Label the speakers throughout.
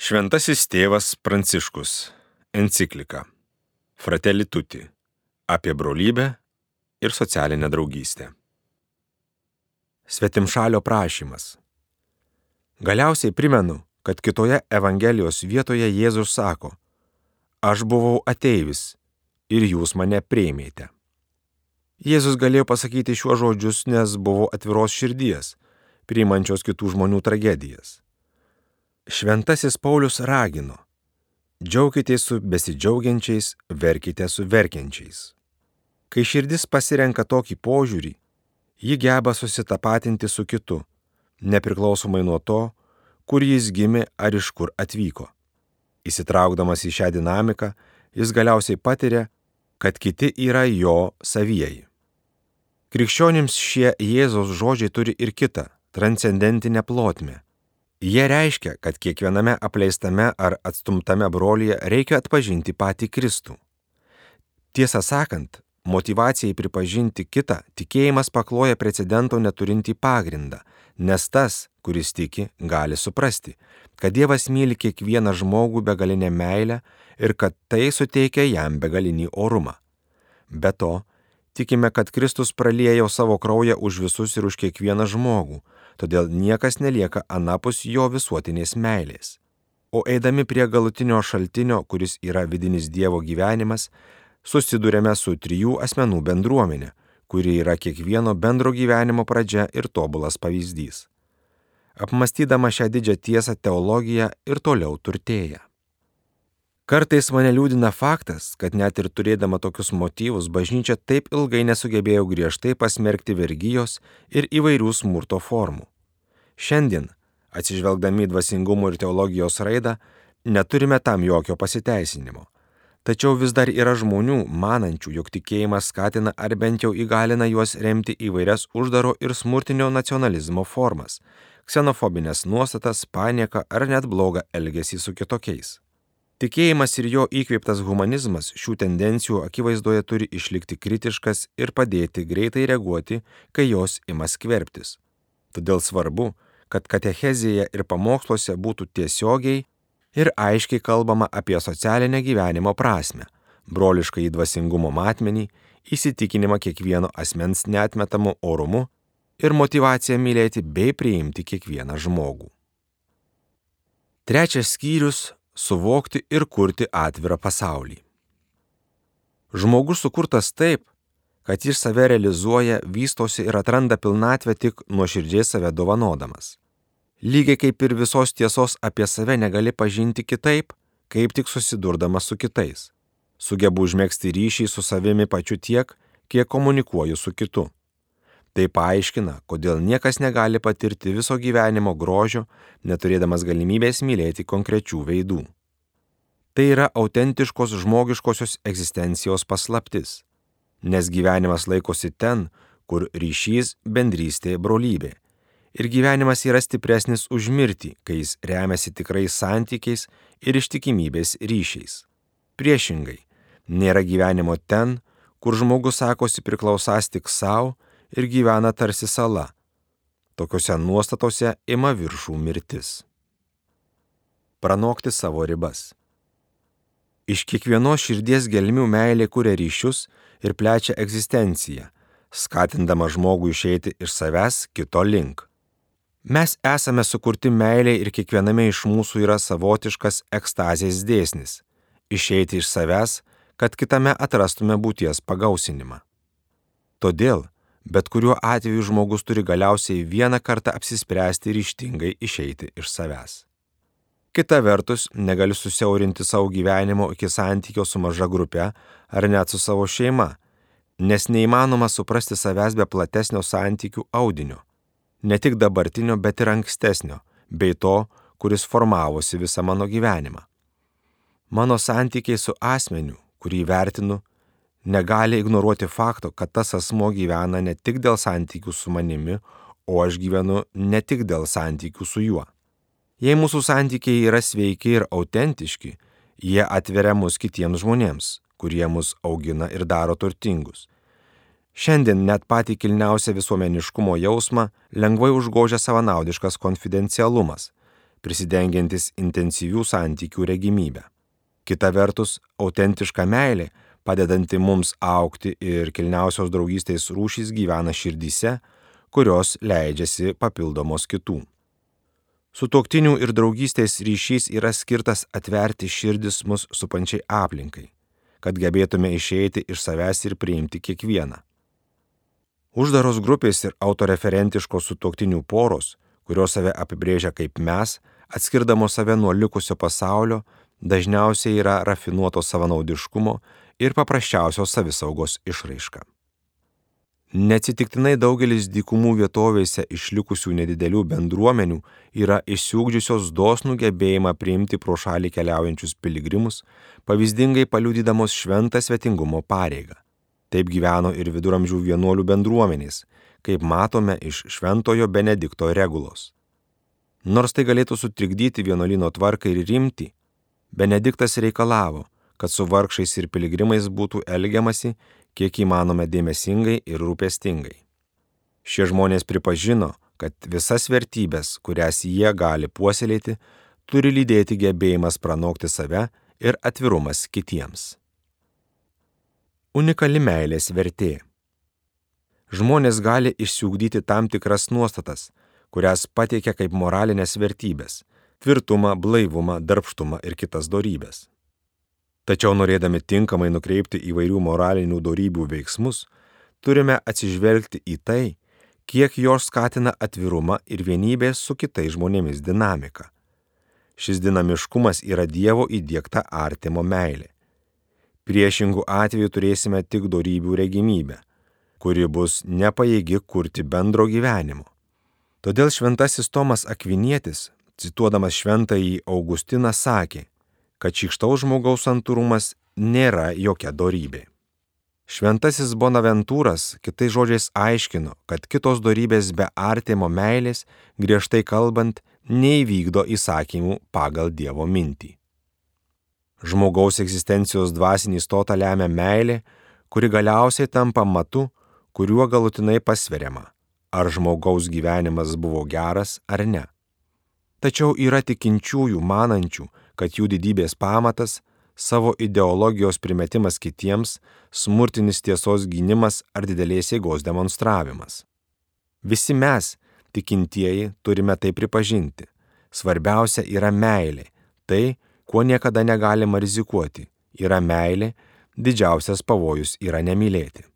Speaker 1: Šventasis tėvas Pranciškus. Enciklika Fratelli Tutti apie brolybę ir socialinę draugystę. Svetimšalio prašymas. Galiausiai primenu, kad kitoje Evangelijos vietoje Jėzus sako: Aš buvau ateivis ir jūs mane priėmėte. Jėzus galėjo pasakyti šiuos žodžius, nes buvo atviros širdies, priimančios kitų žmonių tragedijas. Šventasis Paulius ragino: džiaukitės su besidžiaugiančiais, verkite su verkiančiais. Kai širdis pasirenka tokį požiūrį, ji geba susitapatinti su kitu, nepriklausomai nuo to, kur jis gimė ar iš kur atvyko. Įsitraukdamas į šią dinamiką, jis galiausiai patiria, kad kiti yra jo savieji. Krikščionims šie Jėzaus žodžiai turi ir kitą, transcendentinę plotmę. Jie reiškia, kad kiekviename apleistame ar atstumtame brolyje reikia atpažinti patį Kristų. Tiesą sakant, motyvacijai pripažinti kitą tikėjimas pakloja precedento neturintį pagrindą, nes tas, kuris tiki, gali suprasti, kad Dievas myli kiekvieną žmogų begalinę meilę ir kad tai suteikia jam begalinį orumą. Be to, tikime, kad Kristus praliejo savo kraują už visus ir už kiekvieną žmogų, todėl niekas nelieka anapus jo visuotinės meilės. O eidami prie galutinio šaltinio, kuris yra vidinis Dievo gyvenimas, susidurėme su trijų asmenų bendruomenė, kuri yra kiekvieno bendro gyvenimo pradžia ir tobulas pavyzdys. Apmąstydama šią didžią tiesą, teologija ir toliau turtėja. Kartais mane liūdina faktas, kad net ir turėdama tokius motyvus, bažnyčia taip ilgai nesugebėjo griežtai pasmerkti vergijos ir įvairių smurto formų. Šiandien, atsižvelgdami į dvasingumo ir teologijos raidą, neturime tam jokio pasiteisinimo. Tačiau vis dar yra žmonių, manančių, jog tikėjimas skatina ar bent jau įgalina juos remti įvairias uždaro ir smurtinio nacionalizmo formas, ksenofobinės nuostatas, panieką ar net blogą elgesį su kitokiais. Tikėjimas ir jo įkvėptas humanizmas šių tendencijų akivaizdoje turi išlikti kritiškas ir padėti greitai reaguoti, kai jos ima skverbtis. Todėl svarbu, kad katechezėje ir pamoksluose būtų tiesiogiai ir aiškiai kalbama apie socialinę gyvenimo prasmę, brolišką į dvasingumo matmenį, įsitikinimą kiekvieno asmens neatmetamu orumu ir motyvaciją mylėti bei priimti kiekvieną žmogų. Trečias skyrius – suvokti ir kurti atvirą pasaulį. Žmogus sukurtas taip, kad jis save realizuoja, vystosi ir atranda pilnatvę tik nuoširdžiai save dovanodamas. Lygiai kaip ir visos tiesos apie save negali pažinti kitaip, kaip tik susidurdamas su kitais. Sugebu užmegzti ryšį su savimi pačiu tiek, kiek komunikuoju su kitu. Tai paaiškina, kodėl niekas negali patirti viso gyvenimo grožio, neturėdamas galimybės mylėti konkrečių veidų. Tai yra autentiškos žmogiškosios egzistencijos paslaptis, nes gyvenimas laikosi ten, kur ryšys, bendrystė, brolybė. Ir gyvenimas yra stipresnis už mirtį, kai jis remiasi tikrais santykiais ir ištikimybės ryšiais. Priešingai, nėra gyvenimo ten, kur žmogus sakosi priklausąs tik savo ir gyvena tarsi sala. Tokiuose nuostatose ima viršų mirtis. Pranokti savo ribas. Iš kiekvienos širdies gelmių meilė kuria ryšius ir plečia egzistenciją, skatindama žmogų išeiti iš savęs kito link. Mes esame sukurti meilei ir kiekviename iš mūsų yra savotiškas ekstazės dėsnis – išeiti iš savęs, kad kitame atrastume būties pagausinimą. Todėl, bet kuriuo atveju žmogus turi galiausiai vieną kartą apsispręsti ryžtingai išeiti iš savęs. Kita vertus, negaliu susiaurinti savo gyvenimo iki santykio su maža grupe ar net su savo šeima, nes neįmanoma suprasti savęs be platesnio santykių audinio, ne tik dabartinio, bet ir ankstesnio, bei to, kuris formavosi visą mano gyvenimą. Mano santykiai su asmeniu, kurį vertinu, negali ignoruoti fakto, kad tas asmuo gyvena ne tik dėl santykių su manimi, o aš gyvenu ne tik dėl santykių su juo. Jei mūsų santykiai yra sveiki ir autentiški, jie atveria mus kitiems žmonėms, kurie mus augina ir daro turtingus. Šiandien net patį kilniausią visuomeniškumo jausmą lengvai užgožia savanaudiškas konfidencialumas, prisidengiantis intensyvių santykių regimybę. Kita vertus, autentiška meilė, padedanti mums augti ir kilniausios draugystės rūšys gyvena širdyse, kurios leidžiasi papildomos kitų. Sutuoktinių ir draugystės ryšys yra skirtas atverti širdis mus supančiai aplinkai, kad gebėtume išeiti iš savęs ir priimti kiekvieną. Uždaros grupės ir autoreferentiškos sutuoktinių poros, kurios save apibrėžia kaip mes, atskirdamos save nuo likusio pasaulio, dažniausiai yra rafinuoto savanaudiškumo ir paprasčiausios savisaugos išraiška. Neatsitiktinai daugelis dykumų vietovėse išlikusių nedidelių bendruomenių yra išsiugdžiusios dosnų gebėjimą priimti pro šalį keliaujančius piligrimus, pavyzdingai paliudydamos šventą svetingumo pareigą. Taip gyveno ir viduramžių vienuolių bendruomenės, kaip matome iš Šventojo Benedikto regulos. Nors tai galėtų sutrikdyti vienuolyno tvarką ir rimtį, Benediktas reikalavo, kad su vargšais ir piligrimais būtų elgiamasi kiek įmanoma dėmesingai ir rūpestingai. Šie žmonės pripažino, kad visas vertybės, kurias jie gali puoselėti, turi lydėti gebėjimas pranokti save ir atvirumas kitiems. Unikali meilės vertė. Žmonės gali išsiugdyti tam tikras nuostatas, kurias pateikia kaip moralinės vertybės – tvirtumą, blaivumą, darbštumą ir kitas dorybes. Tačiau norėdami tinkamai nukreipti įvairių moralinių dorybių veiksmus, turime atsižvelgti į tai, kiek jos skatina atvirumą ir vienybės su kitais žmonėmis dinamiką. Šis dinamiškumas yra Dievo įdiegta artimo meilė. Priešingų atveju turėsime tik dorybių regimybę, kuri bus nepajėgi kurti bendro gyvenimo. Todėl šventasis Tomas Akvinietis, cituodamas šventąjį Augustiną, sakė, kad šykštaus žmogaus santūrumas nėra jokia dorybė. Šventasis Bonaventūras kitais žodžiais aiškino, kad kitos dorybės be artimo meilės, griežtai kalbant, neįvykdo įsakymų pagal Dievo mintį. Žmogaus egzistencijos dvasinį stotą lemia meilė, kuri galiausiai tampa matu, kuriuo galutinai pasveriama, ar žmogaus gyvenimas buvo geras ar ne. Tačiau yra tikinčiųjų manančių, kad jų didybės pamatas, savo ideologijos primetimas kitiems, smurtinis tiesos gynimas ar didelės jėgos demonstravimas. Visi mes, tikintieji, turime tai pripažinti. Svarbiausia yra meilė, tai, kuo niekada negalima rizikuoti, yra meilė, didžiausias pavojus yra nemylėti.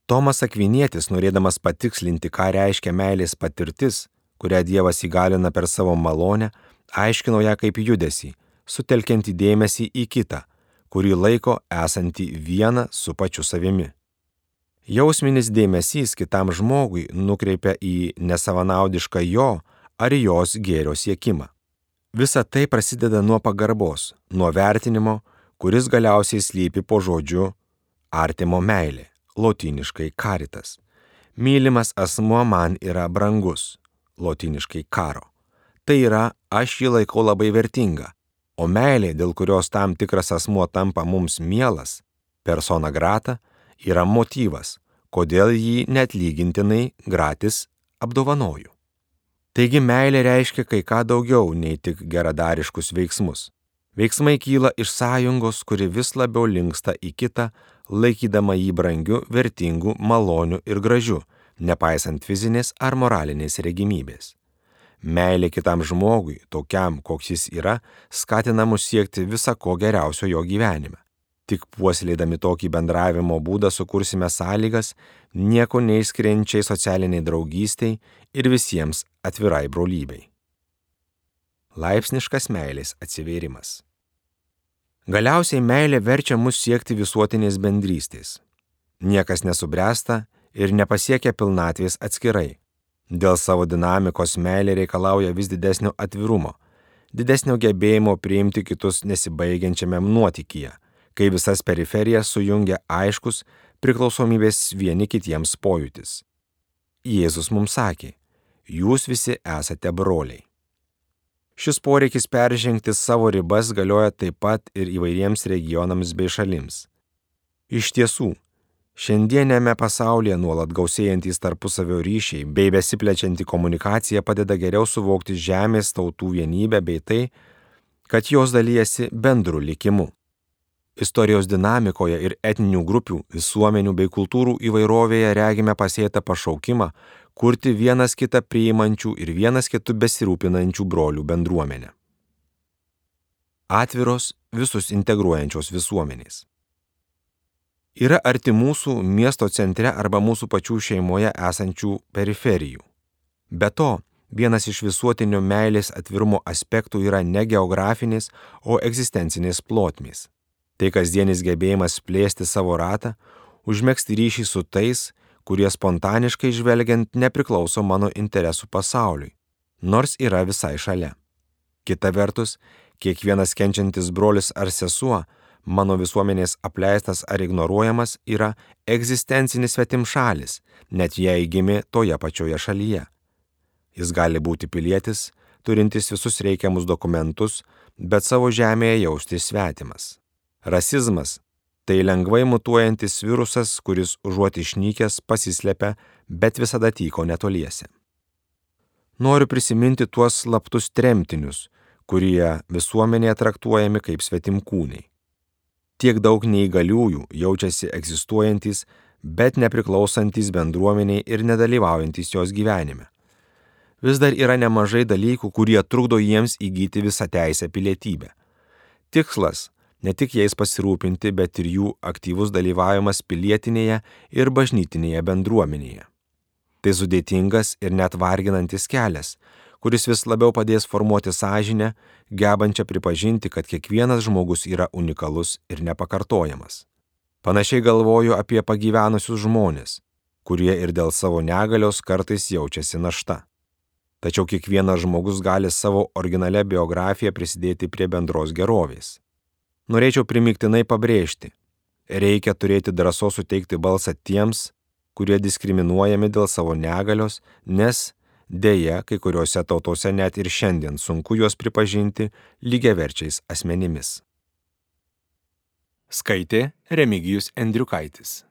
Speaker 1: Tomas Akvinietis, norėdamas patikslinti, ką reiškia meilės patirtis, kurią Dievas įgalina per savo malonę, aiškino ją kaip judesį, sutelkiantį dėmesį į kitą, kurį laiko esantį vieną su pačiu savimi. Jausminis dėmesys kitam žmogui nukreipia į nesavanaudišką jo ar jos gėrio siekimą. Visa tai prasideda nuo pagarbos, nuo vertinimo, kuris galiausiai slypi po žodžiu artimo meilė, lotyniškai caritas. Mylimas asmuo man yra brangus, lotyniškai caro. Tai yra, aš jį laikau labai vertingą, o meilė, dėl kurios tam tikras asmuo tampa mums mielas, persona grata, yra motyvas, kodėl jį neatlygintinai gratis apdovanoju. Taigi meilė reiškia kai ką daugiau nei tik geradariškus veiksmus. Veiksmai kyla iš sąjungos, kuri vis labiau linksta į kitą, laikydama jį brangiu, vertingu, maloniu ir gražiu, nepaisant fizinės ar moralinės regimybės. Meilė kitam žmogui, tokiam, koks jis yra, skatina mus siekti visa ko geriausio jo gyvenime. Tik puoselėdami tokį bendravimo būdą sukursime sąlygas nieko neišskiriančiai socialiniai draugystiai ir visiems atvirai brolybei. Laipsniškas meilės atsivėrimas. Galiausiai meilė verčia mus siekti visuotinės bendrystės. Niekas nesubręsta ir nepasiekia pilnatvės atskirai. Dėl savo dinamikos meilė reikalauja vis didesnio atvirumo, didesnio gebėjimo priimti kitus nesibaigiančiame nuotykyje, kai visas periferijas sujungia aiškus priklausomybės vieni kitiems pojūtis. Jėzus mums sakė, jūs visi esate broliai. Šis poreikis peržengti savo ribas galioja taip pat ir įvairiems regionams bei šalims. Iš tiesų, Šiandienėme pasaulyje nuolat gausėjantys tarpusavio ryšiai bei besiplečianti komunikacija padeda geriau suvokti žemės tautų vienybę bei tai, kad jos dalyjasi bendru likimu. Istorijos dinamikoje ir etninių grupių, visuomenių bei kultūrų įvairovėje regime pasėtą pašaukimą kurti vienas kitą priimančių ir vienas kitų besirūpinančių brolių bendruomenę. Atviros, visus integruojančios visuomenės. Yra arti mūsų miesto centre arba mūsų pačių šeimoje esančių periferijų. Be to, vienas iš visuotinio meilės atvirumo aspektų yra ne geografinės, o egzistencinės plotmės. Tai kasdienis gebėjimas plėsti savo ratą, užmegzti ryšį su tais, kurie spontaniškai žvelgiant nepriklauso mano interesų pasauliui, nors yra visai šalia. Kita vertus, kiekvienas kenčiantis brolis ar sesuo, mano visuomenės apleistas ar ignoruojamas, yra egzistencinis svetimšalis, net jei gimė toje pačioje šalyje. Jis gali būti pilietis, turintis visus reikiamus dokumentus, bet savo žemėje jaustis svetimas. Rasizmas – tai lengvai mutuojantis virusas, kuris užuot išnykęs pasislepia, bet visada tyko netoliese. Noriu prisiminti tuos slaptus tremtinius, kurie visuomenėje traktuojami kaip svetimkūniai. Tiek daug neįgaliųjų jaučiasi egzistuojantis, bet nepriklausantis bendruomeniai ir nedalyvaujantis jos gyvenime. Vis dar yra nemažai dalykų, kurie trukdo jiems įgyti visą teisę pilietybę. Tikslas – ne tik jais pasirūpinti, bet ir jų aktyvus dalyvavimas pilietinėje ir bažnytinėje bendruomenėje. Tai sudėtingas ir net varginantis kelias, kuris vis labiau padės formuoti sąžinę, gebančią pripažinti, kad kiekvienas žmogus yra unikalus ir nepakartojamas. Panašiai galvoju apie pagyvenusius žmonės, kurie ir dėl savo negalios kartais jaučiasi našta. Tačiau kiekvienas žmogus gali savo originalią biografiją prisidėti prie bendros gerovės. Norėčiau primygtinai pabrėžti, reikia turėti drąsos suteikti balsą tiems, kurie diskriminuojami dėl savo negalios, nes deja, kai kuriuose tautose net ir šiandien sunku juos pripažinti lygiaverčiais asmenimis. Skaitė Remigijus Endriukaitis.